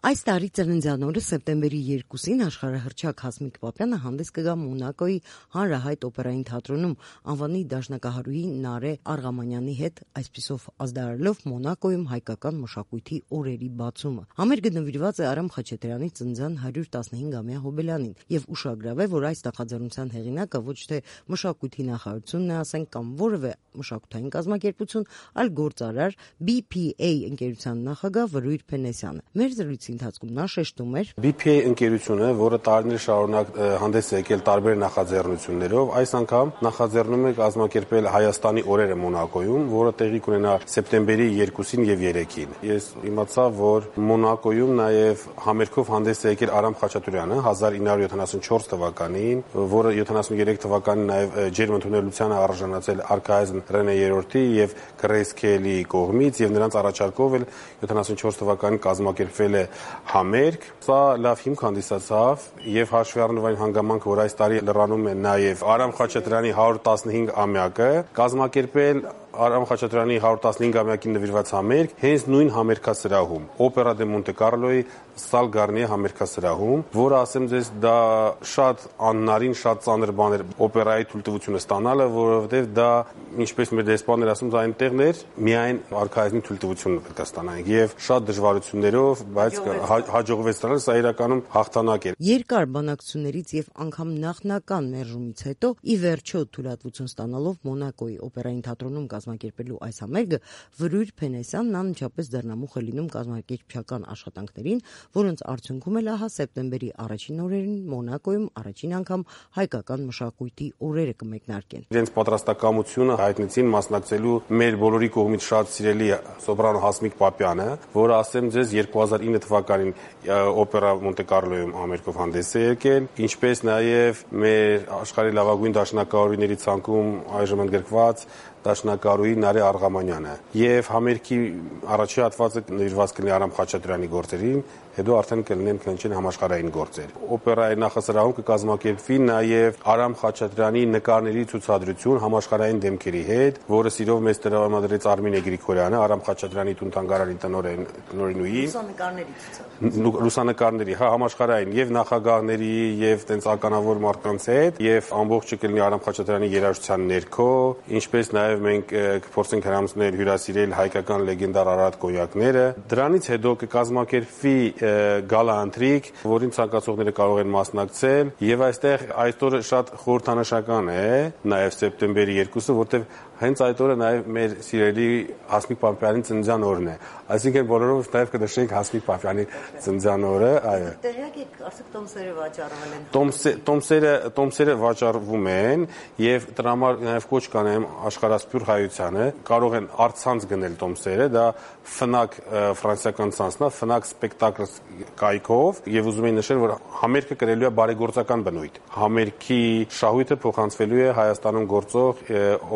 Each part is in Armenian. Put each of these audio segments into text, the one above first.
Այս տարի ծննդյան օրը սեպտեմբերի 2-ին աշխարհահռչակ Հասմիկ Պապյանը հանդես կգա Մոնակոյի հանրահայտ օպերային թատրոնում անվանի դաշնակահարուհի Նարե Արղամանյանի հետ, այսպիսով ազդարարելով Մոնակոյում հայկական մշակույթի օրերի բացումը։ Համերգը նվիրված է Արամ Խաչատրյանի ծննդյան 115-ամյա հոբելյանին եւ ուշագրավ է, որ այս նախաձեռնության հեղինակը ոչ թե մշակույթի նախարարությունն է, ասենք, կամ որևէ մշակութային կազմակերպություն, այլ գործարար BPA ընկերության նախագահ Վրույր Փենեսյանը։ Մեր զրույցի ընթացքում նա շեշտում էր. BPA ընկերությունը, որը տարիներ շարունակ հանդես է եկել տարբեր նախաձեռնություններով, այս անգամ նախաձեռնում է կազմակերպել Հայաստանի օրերը Մոնակոյում, որը տեղի կունենա սեպտեմբերի 2-ին եւ 3-ին։ Ես իմացա, որ Մոնակոյում նաեւ համերգով հանդես է եկել Արամ Խաչատրյանը 1974 թվականին, որը 73 թվականին նաեւ ջերմընդունելությանը արժանացել արքայազն Ռենե III եւ Գրեյս Քելիի կողմից եւ նրանց առաջարկով էլ 74 թվականին կազմակերպվել է համերգ։ Սա լավ հիմք հանդիսացավ եւ հաշվի առնելով այն հանգամանքը, որ այս տարի լրանում է նաեւ Արամ Խաչատրյանի 115-ամյակը, կազմակերպել Արամ Խաչատրյանի 115-ամյակին նվիրված համերգ հենց նույն համերգասրահում, Օպերա դե Մոնտե Կարլոյի Սալ Գարնիե համերգասրահում, որը ասեմ ձեզ դա շատ աննարին, շատ ծանր բան էր օպերայի թույլտվությունը ստանալը, որովհետեւ դա, ինչպես մեր դեսպաններ ասում, դա այնտեղն էր, միայն արքայազնի թույլտվությունը պետք է ստանայինք եւ շատ դժվարություններով, բայց հաջողվեց ստանալ, սա իրականում հաղթանակ էր։ Երկար բանակցություններից եւ անգամ նախնական մերժումից հետո ի վերջո թույլատվություն ստանալով Մոնակոյի օպերային թատրոնում կազմակերպելու այս համերգը Վրույր Փենեսյանն անմիջապես դեռնամուխ է լինում կազմակերպչական աշխատանքներին, որոնց արդյունքում էլ ահա սեպտեմբերի առաջին օրերին Մոնակոյում առաջին անգամ հայկական մշակույթի օրերը կմեկնարկեն։ Իրենց պատրաստակամությունը հայտնեցին մասնակցելու մեր բոլորի կողմից շատ սիրելի սոպրանո Հասմիկ Պապյանը, որը ասեմ ձեզ 2009 թվականին Օպերա Մոնտե Կարլոյում համերգով հանդես է եկել, ինչպես նաև մեր աշխարհի լավագույն դաշնակահարուհիների ցանկում այժմ ընդգրկված դաշնակահարուհի Նարե Արղամանյանը եւ համերգի առաջի հատվածը նվիրված կլինի Արամ Խաչատրյանի գործերին, հետո արդեն կլինեն քննչեն համաշխարհային գործեր։ Օպերայի նախասրահում կկազմակերպվի նաև Արամ Խաչատրյանի նկարների ցուցադրություն համաշխարհային դեմքերի հետ, որը սիրով մեծ տրամադրեց Արմինե Գրիգորյանը, Արամ Խաչատրյանի տուն-թանգարանի տնօրենուհի։ Լուսանկարների, համաշխարհային եւ նախագահների եւ տենց ականավոր մարդկանց հետ եւ ամբողջը կլինի Արամ Խաչատրյանի երաժշտության ներքո, ինչպես նաև մենք կփորձենք հրամցնել հյուրասիրել հայկական լեգենդար Արարատ կոնյակները։ Դրանից հետո կկազմակերպվի գալա ընթրիք, որին ցանկացողները կարող են մասնակցել եւ այստեղ այս օրը շատ խորհրդանշական է նաեւ սեպտեմբերի 2-ը, որտեղ հենց այդ օրը նաև մեր սիրելի Հասմիկ Պապյանի ծննդյան օրն է։ Այսինքն բոլորով նաև կնշենք Հասմիկ Պապյանի ծննդյան օրը, այո։ Տեղյակ եք, արդյոք տոմսերը վաճառվել են։ Տոմսերը վաճառվում են եւ դրա համար նաև կոչ կանեմ աշխարհասփյուր հայությանը, կարող են առցանց գնել տոմսերը, դա Fnac ֆրանսիական ցանցն է, Fnac Spectacles կայքով եւ ուզում եմ նշել, որ համերգը կրելու է բարեգործական բնույթ։ Համերգի շահույթը փոխանցվելու է Հայաստանում գործող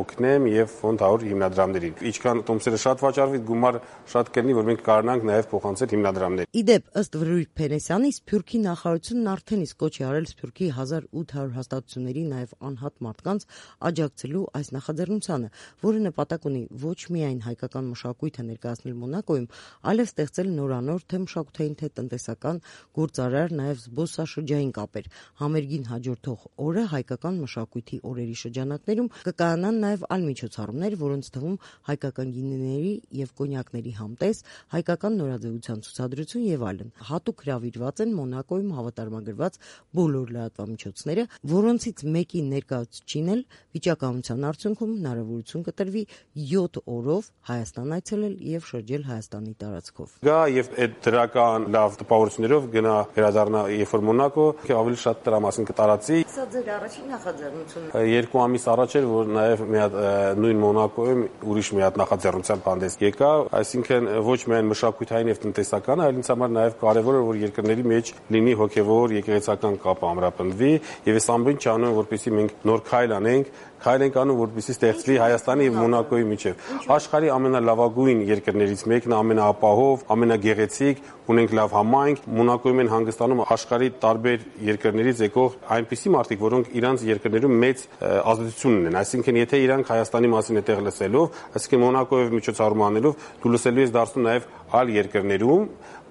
Օգնեմ եւ Ֆոնդ 100 հիմնադրամներին։ Ինչքան տոմսերը շատ վաճառվի, գումար շատ կլինի, որ մենք կարողանանք նաեւ փոխանցել հիմնադրամներին։ Իդեպ, ըստ Վրույր Փենեսյանի, Սփյուռքի նախարարությունն արդեն իսկ կոչ է արել Սփյուռքի 1800 հաստատությունների նաեւ անհատ մարդկանց աջակցելու այս նախաձեռնությանը, որը նպատակ ունի ոչ միայն հայկական մշակույթը ներկայացնել Մոնակոյում, այլև ստեղծել նորանոր թե մշակութային թե տնտեսական գործարար նաեւ զբոսաշրջային կապեր։ Համերգին հաջորդող օրը հայկական մշակույթի օրերի շրջանակներում կկայանան նաեւ այլ միջոցառումներ, որոնց թվում հայկական գինիների եւ կոնյակների համտես, հայկական նորաձևության ցուցադրություն եւ այլն։ Հատուկ հրավիրված են Մոնակոյում հավատարմագրված բոլոր լրատվամիջոցները, որոնցից մեկի ներկայացուցիչին էլ վիճակահանության արդյունքում հնարավորություն կտրվի 7 օրով Հայաստան այցելել եւ շրջել Հայաստանի տարածքով։ Գա եւ այդ դրական լավ տպավորություններով գնա վերադառնա երբ որ Մոնակո, ավելի շատ դրա մասին կտարածի։ Սա ձեր առաջին նախաձեռնությունն է։ 2 ամիս առաջ էր, որ նաեւ մի հատ նույն Մոնակոյում ուրիշ մի հատ նախաձեռնության հանդես եկա, այսինքն ոչ միայն մշակութային եւ տնտեսական, այլ ինձ համար նաեւ կարեւոր է, որ երկրների մեջ լինի հոգեվոր եկեղեցական կապ ամրապնդվի եւ այս ամբողջ չանում, որպեսզի մենք նոր քայլ անենք, քայլ ենք անում, որպեսզի ստեղծվի Հայաստանի եւ Մոնակոյի միջեւ։ Աշխարհի ամենալավագույն երկրներից մեկն է, ամենաապահով, ամենագեղեցիկ, ունենք լավ համայնք, Մոնակոյում են հանգստանում աշխարհի տարբեր երկրներից եկող այնպիսի մարդիկ, որոնք իրանց երկրներում մեծ ազդեցություն ունեն։ Այսինքն, եթե իրանք Հայաստանի մասին այդտեղ լսելով, այսինքն Մոնակոյով միջոցառում անելով, դու լսելու ես դարձնում նաեւ այլ երկրներում,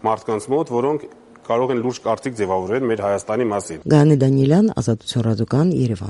մարդկանց մոտ, որոնք կարող են լուրջ կարծիք ձևավորել մեր Հայաստանի մասին։ Գայանե Դանիելյան, Ազատություն ռադիոկայան, Երևան։